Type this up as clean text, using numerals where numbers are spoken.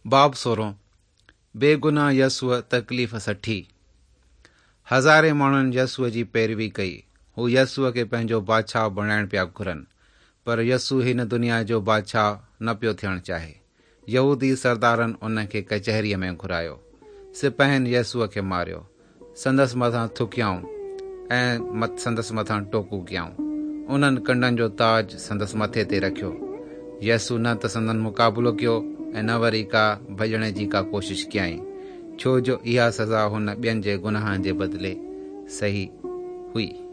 باب سورهون، بيگناهه يسوع تڪليف سٺي. هزارين ماڻهن يسوع جي پيروي ڪئي. هو يسوع کي پنهنجو بادشاهه بڻائڻ پيا گهرن. پر يسوع هن دنيا جو بادشاهه نه پيو ٿيڻ چاهي. يهودي سردارن ان کي ڪچهريء ۾ گهرايو. سپاهين يسوع کي ماريو. سندس مٿان ٿڪيائون ۽ سندس مٿان ٽوڪون ڪيائون. انهن ڪنڊن جو تاج سندس مٿي تي رکيو. يسوع نه ته سندن مقابلو ڪيو ۽ نه وري ڪا ڀڄڻ جي ڪا ڪوشش ڪيائين، ڇو جو اها سزا هن ٻين جي گناهن جي بدلي سهي هئي.